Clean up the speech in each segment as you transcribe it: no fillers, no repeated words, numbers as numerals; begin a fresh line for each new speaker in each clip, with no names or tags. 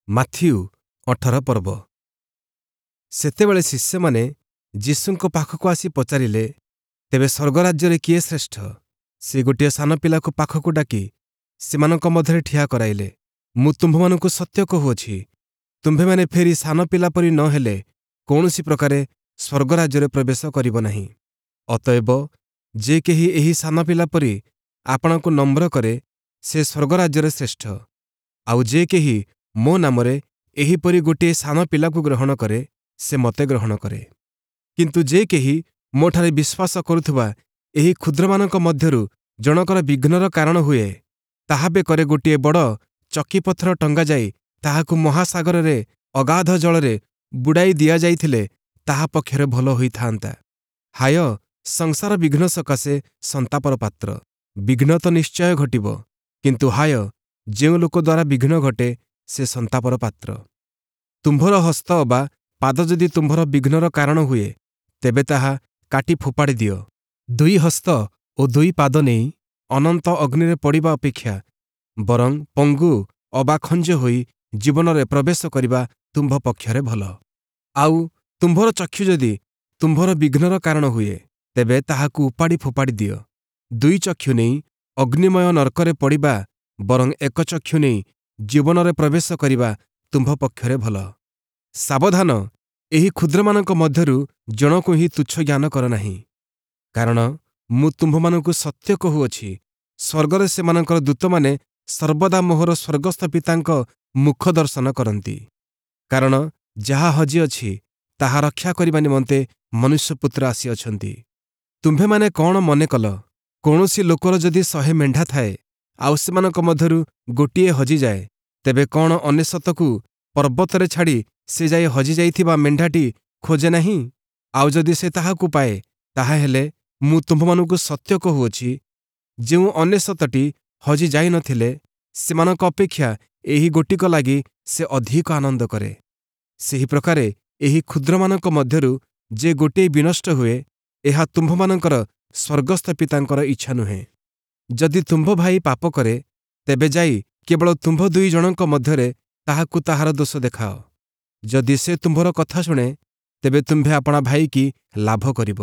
Matthew 18 ପର୍ବ। ସେତେବେଳେ ଶିଷ୍ୟମାନେ ଯୀଶୁଙ୍କ ପାଖକୁ ଆସି ପଚାରିଲେ, ତେବେ ସ୍ୱର୍ଗରାଜ୍ୟରେ କିଏ ଶ୍ରେଷ୍ଠ? ସେ ଗୋଟିଏ ସାନ ପିଲାକୁ ପାଖକୁ ଡାକି ସେମାନଙ୍କ ମଧ୍ୟରେ ଠିଆ କରାଇଲେ। ମୁଁ ତୁମ୍ଭମାନଙ୍କୁ ସତ୍ୟ କହୁଅଛି, ତୁମ୍ଭେମାନେ ଫେରି ସାନ ପିଲା ପରି ନ ହେଲେ କୌଣସି ପ୍ରକାରେ ସ୍ୱର୍ଗରାଜ୍ୟରେ ପ୍ରବେଶ କରିବ ନାହିଁ। ଅତଏବ ଯେ କେହି ଏହି ସାନ ପିଲା ପରି ଆପଣାକୁ ନମ୍ର କରେ, ସେ ସ୍ୱର୍ଗରାଜ୍ୟରେ ଶ୍ରେଷ୍ଠ। ଆଉ ଯେ କେହି ମୋ ନାମରେ ଏହିପରି ଗୋଟିଏ ସାନ ପିଲାକୁ ଗ୍ରହଣ କରେ, ସେ ମୋତେ ଗ୍ରହଣ କରେ। କିନ୍ତୁ ଯେ କେହି ମୋଠାରେ ବିଶ୍ୱାସ କରୁଥିବା ଏହି କ୍ଷୁଦ୍ରମାନଙ୍କ ମଧ୍ୟରୁ ଜଣକର ବିଘ୍ନର କାରଣ ହୁଏ, ତାହା ବେକରେ ଗୋଟିଏ ବଡ଼ ଚକିପଥର ଟଙ୍ଗାଯାଇ ତାହାକୁ ମହାସାଗରରେ ଅଗାଧ ଜଳରେ ବୁଡ଼ାଇ ଦିଆଯାଇଥିଲେ ତାହା ପକ୍ଷରେ ଭଲ ହୋଇଥାନ୍ତା। ହାୟ, ସଂସାର ବିଘ୍ନ ସକାଶେ ସନ୍ତାପର ପାତ୍ର! ବିଘ୍ନ ତ ନିଶ୍ଚୟ ଘଟିବ, କିନ୍ତୁ ହାୟ, ଯେଉଁ ଲୋକ ଦ୍ୱାରା ବିଘ୍ନ ଘଟେ, ସେ ସନ୍ତାପର ପାତ୍ର। ତୁମ୍ଭର ହସ୍ତ ଅବା ପାଦ ଯଦି ତୁମ୍ଭର ବିଘ୍ନର କାରଣ ହୁଏ, ତେବେ ତାହା କାଟି ଫୋପାଡ଼ି ଦିଅ। ଦୁଇ ହସ୍ତ ଓ ଦୁଇ ପାଦ ନେଇ ଅନନ୍ତ ଅଗ୍ନିରେ ପଡ଼ିବା ଅପେକ୍ଷା ବରଂ ପଙ୍ଗୁ ଅବା ଖଞ୍ଜ ହୋଇ ଜୀବନରେ ପ୍ରବେଶ କରିବା ତୁମ୍ଭ ପକ୍ଷରେ ଭଲ। ଆଉ ତୁମ୍ଭର ଚକ୍ଷୁ ଯଦି ତୁମ୍ଭର ବିଘ୍ନର କାରଣ ହୁଏ, ତେବେ ତାହାକୁ ଉପାଡ଼ି ଫୋପାଡ଼ି ଦିଅ। ଦୁଇ ଚକ୍ଷୁ ନେଇ ଅଗ୍ନିମୟ ନର୍କରେ ପଡ଼ିବା ବରଂ ଏକ ଚକ୍ଷୁ ନେଇ ଜୀବନରେ ପ୍ରବେଶ କରିବା ତୁମ୍ଭ ପକ୍ଷରେ ଭଲ। ସାବଧାନ, ଏହି କ୍ଷୁଦ୍ରମାନଙ୍କ ମଧ୍ୟରୁ ଜଣକୁ ହିଁ ତୁଚ୍ଛ ଜ୍ଞାନ କର ନାହିଁ। କାରଣ ମୁଁ ତୁମ୍ଭମାନଙ୍କୁ ସତ୍ୟ କହୁଅଛି, ସ୍ୱର୍ଗରେ ସେମାନଙ୍କର ଦୂତମାନେ ସର୍ବଦା ମୋହର ସ୍ୱର୍ଗସ୍ଥ ପିତାଙ୍କ ମୁଖ ଦର୍ଶନ କରନ୍ତି। କାରଣ ଯାହା ହଜିଅଛି, ତାହା ରକ୍ଷା କରିବା ନିମନ୍ତେ ମନୁଷ୍ୟପୁତ୍ର ଆସିଅଛନ୍ତି। ତୁମ୍ଭେମାନେ କଣ ମନେ କଲ? କୌଣସି ଲୋକର ଯଦି 100 ମେଣ୍ଢା ଥାଏ, ଆଉ ସେମାନଙ୍କ ମଧ୍ୟରୁ ଗୋଟିଏ ହଜିଯାଏ, ତେବେ କଣ 99କୁ ପର୍ବତରେ ଛାଡ଼ି ସେ ଯାଇ ହଜିଯାଇଥିବା ମେଣ୍ଢାଟି ଖୋଜେ ନାହିଁ? ଆଉ ଯଦି ସେ ତାହାକୁ ପାଏ, ତାହାହେଲେ ମୁଁ ତୁମ୍ଭମାନଙ୍କୁ ସତ୍ୟ କହୁଅଛି, ଯେଉଁ 99ଟି ହଜି ଯାଇନଥିଲେ, ସେମାନଙ୍କ ଅପେକ୍ଷା ଏହି ଗୋଟିକ ଲାଗି ସେ ଅଧିକ ଆନନ୍ଦ କରେ। ସେହି ପ୍ରକାରେ ଏହି କ୍ଷୁଦ୍ରମାନଙ୍କ ମଧ୍ୟରୁ ଯେ ଗୋଟିଏ ବିନଷ୍ଟ ହୁଏ, ଏହା ତୁମ୍ଭମାନଙ୍କର ସ୍ୱର୍ଗସ୍ଥ ପିତାଙ୍କର ଇଚ୍ଛା ନୁହେଁ। ଯଦି ତୁମ୍ଭ ଭାଇ ପାପ କରେ, ତେବେ ଯାଇ କେବଳ ତୁମ୍ଭ ଦୁଇ ଜଣଙ୍କ ମଧ୍ୟରେ ତାହାକୁ ତାହାର ଦୋଷ ଦେଖାଅ। ଯଦି ସେ ତୁମ୍ଭର କଥା ଶୁଣେ, ତେବେ ତୁମ୍ଭେ ଆପଣା ଭାଇକି ଲାଭ କରିବ।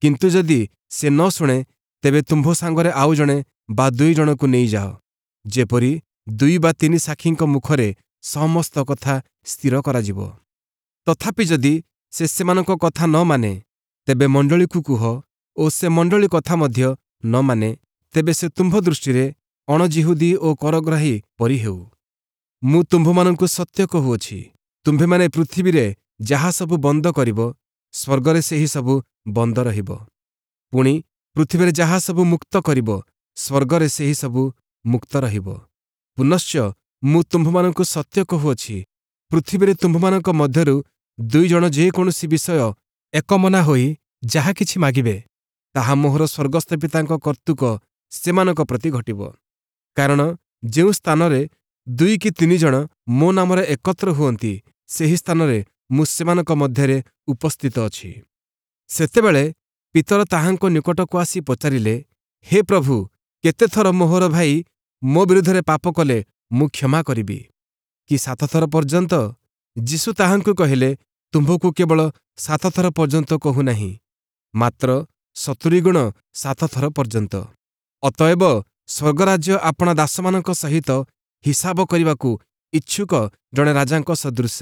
କିନ୍ତୁ ଯଦି ସେ ନ ଶୁଣେ, ତେବେ ତୁମ୍ଭ ସାଙ୍ଗରେ ଆଉ ଜଣେ ବା ଦୁଇ ଜଣକୁ ନେଇଯାଅ, ଯେପରି ଦୁଇ ବା ତିନି ସାକ୍ଷୀଙ୍କ ମୁଖରେ ସମସ୍ତ କଥା ସ୍ଥିର କରାଯିବ। ତଥାପି ଯଦି ସେ ସେମାନଙ୍କ କଥା ନ ମାନେ, ତେବେ ମଣ୍ଡଳୀକୁ କୁହ ଓ ସେ ମଣ୍ଡଳୀ କଥା ମଧ୍ୟ ନ ମାନେ, ତେବେ ସେ ତୁମ୍ଭ ଦୃଷ୍ଟିରେ ଅଣଯିହୁଦୀ ଓ କରଗ୍ରାହୀ ପରି ହେଉ। ମୁଁ ତୁମ୍ଭମାନଙ୍କୁ ସତ୍ୟ କହୁଅଛି, ତୁମ୍ଭେମାନେ ପୃଥିବୀରେ ଯାହା ସବୁ ବନ୍ଦ କରିବ, ସ୍ୱର୍ଗରେ ସେହି ସବୁ ବନ୍ଦ ରହିବ। ପୁଣି ପୃଥିବୀରେ ଯାହା ସବୁ ମୁକ୍ତ କରିବ, ସ୍ୱର୍ଗରେ ସେହି ସବୁ ମୁକ୍ତ ରହିବ। ପୁନଶ୍ଚ ମୁଁ ତୁମ୍ଭମାନଙ୍କୁ ସତ୍ୟ କହୁଅଛି, ପୃଥିବୀରେ ତୁମ୍ଭମାନଙ୍କ ମଧ୍ୟରୁ ଦୁଇ ଜଣ ଯେକୌଣସି ବିଷୟ ଏକମନା ହୋଇ ଯାହା କିଛି ମାଗିବେ, ତାହା ମୋହର ସ୍ୱର୍ଗସ୍ଥ ପିତାଙ୍କ କର୍ତ୍ତୃକ ସେମାନଙ୍କ ପ୍ରତି ଘଟିବ। କାରଣ ଯେଉଁ ସ୍ଥାନରେ ଦୁଇ କି ତିନି ଜଣ ମୋ ନାମରେ ଏକତ୍ର ହୁଅନ୍ତି, ସେହି ସ୍ଥାନରେ ମୁଁ ସେମାନଙ୍କ ମଧ୍ୟରେ ଉପସ୍ଥିତ ଅଛି। ସେତେବେଳେ ପିତର ତାହାଙ୍କ ନିକଟକୁ ଆସି ପଚାରିଲେ, ହେ ପ୍ରଭୁ, କେତେଥର ମୋହର ଭାଇ ମୋ ବିରୁଦ୍ଧରେ ପାପ କଲେ ମୁଁ କ୍ଷମା କରିବି? କି 7ଥର ପର୍ଯ୍ୟନ୍ତ? ଯୀଶୁ ତାହାଙ୍କୁ କହିଲେ, ତୁମ୍ଭକୁ କେବଳ 7ଥର ପର୍ଯ୍ୟନ୍ତ କହୁନାହିଁ, ମାତ୍ର 70 ଗୁଣ 7ଥର ପର୍ଯ୍ୟନ୍ତ। ଅତଏବ ସ୍ୱର୍ଗରାଜ୍ୟ ଆପଣା ଦାସମାନଙ୍କ ସହିତ ହିସାବ କରିବାକୁ ଇଚ୍ଛୁକ ଜଣେ ରାଜାଙ୍କ ସଦୃଶ।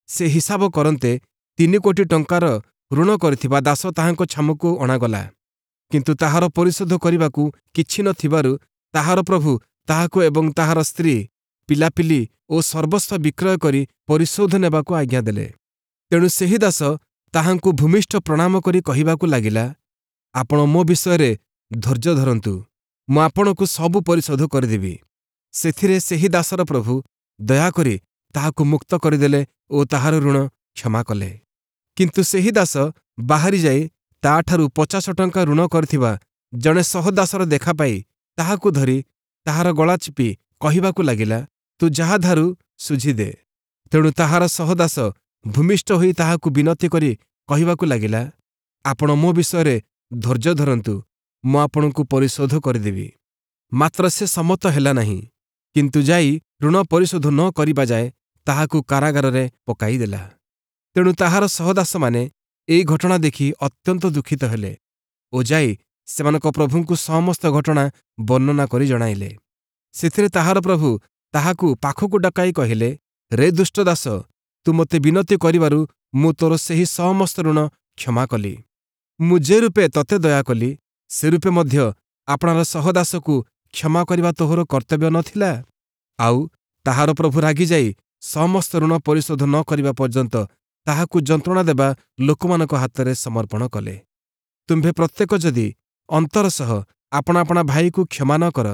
ସେ ହିସାବ କରନ୍ତେ 3 କୋଟି ଟଙ୍କାର ଋଣ କରିଥିବା ଦାସ ତାହାଙ୍କ ଛାମୁକୁ ଅଣାଗଲା। କିନ୍ତୁ ତାହାର ପରିଶୋଧ କରିବାକୁ କିଛି ନଥିବାରୁ ତାହାର ପ୍ରଭୁ ତାହାକୁ ଏବଂ ତାହାର ସ୍ତ୍ରୀ, ପିଲାପିଲି ଓ ସର୍ବସ୍ୱ ବିକ୍ରୟ କରି ପରିଶୋଧ ନେବାକୁ ଆଜ୍ଞା ଦେଲେ। ତେଣୁ ସେହି ଦାସ ତାହାଙ୍କୁ ଭୂମିଷ୍ଠ ପ୍ରଣାମ କରି କହିବାକୁ ଲାଗିଲା, ଆପଣ ମୋ ବିଷୟରେ ଧୈର୍ଯ୍ୟ ଧରନ୍ତୁ, ମୁଁ ଆପଣଙ୍କୁ ସବୁ ପରିଶୋଧ କରିଦେବି। ସେଥିରେ ସେହି ଦାସର ପ୍ରଭୁ ଦୟାକରି ତାହାକୁ ମୁକ୍ତ କରିଦେଲେ ଓ ତାହାର ଋଣ କ୍ଷମା କଲେ। କିନ୍ତୁ ସେହି ଦାସ ବାହାରି ଯାଇ ତାଠାରୁ 50 ଟଙ୍କା ଋଣ କରିଥିବା ଜଣେ ସହଦାସର ଦେଖା ପାଇ ତାହାକୁ ଧରି ତାହାର ଗଳା ଚିପି କହିବାକୁ ଲାଗିଲା, ତୁ ଯାହା ଧାରୁ ଶୁଝିଦେ। ତେଣୁ ତାହାର ସହଦାସ ଭୂମିଷ୍ଠ ହୋଇ ତାହାକୁ ବିନତି କରି କହିବାକୁ ଲାଗିଲା, ଆପଣ ମୋ ବିଷୟରେ ଧୈର୍ଯ୍ୟ ଧରନ୍ତୁ, ମୁଁ ଆପଣଙ୍କୁ ପରିଶୋଧ କରିଦେବି। ମାତ୍ର ସେ ସମ୍ମତ ହେଲା ନାହିଁ, କିନ୍ତୁ ଯାଇ ଋଣ ପରିଶୋଧ ନ କରିବା ଯାଏ ତାହାକୁ କାରାଗାରରେ ପକାଇଦେଲା। ତେଣୁ ତାହାର ସହଦାସମାନେ ଏହି ଘଟଣା ଦେଖି ଅତ୍ୟନ୍ତ ଦୁଃଖିତ ହେଲେ ଓ ଯାଇ ସେମାନଙ୍କ ପ୍ରଭୁଙ୍କୁ ସମସ୍ତ ଘଟଣା ବର୍ଣ୍ଣନା କରି ଜଣାଇଲେ। ସେଥିରେ ତାହାର ପ୍ରଭୁ ତାହାକୁ ପାଖକୁ ଡକାଇ କହିଲେ, ରେ ଦୁଷ୍ଟ ଦାସ, ତୁ ମୋତେ ବିନତି କରିବାରୁ ମୁଁ ତୋର ସେହି ସମସ୍ତ ଋଣ କ୍ଷମା କଲି। ମୁଁ ଯେ ରୂପେ ତୋତେ ଦୟା କଲି, ସେ ରୂପେ ମଧ୍ୟ ଆପଣାର ସହଦାସକୁ କ୍ଷମା କରିବା ତୋହର କର୍ତ୍ତବ୍ୟ ନ ଥିଲା? ଆଉ ତାହାର ପ୍ରଭୁ ରାଗିଯାଇ ସମସ୍ତ ଋଣ ପରିଶୋଧ ନ କରିବା ପର୍ଯ୍ୟନ୍ତ ତାହାକୁ ଯନ୍ତ୍ରଣା ଦେବା ଲୋକମାନଙ୍କ ହାତରେ ସମର୍ପଣ କଲେ। ତୁମ୍ଭେ ପ୍ରତ୍ୟେକ ଯଦି ଅନ୍ତର ସହ ଆପଣା ଆପଣା ଭାଇକୁ କ୍ଷମା ନ କର,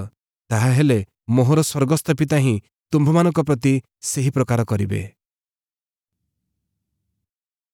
ତାହାହେଲେ ମୋହର ସ୍ୱର୍ଗସ୍ଥ ପିତା ହିଁ ତୁମ୍ଭମାନଙ୍କ ପ୍ରତି ସେହି ପ୍ରକାର କରିବେ।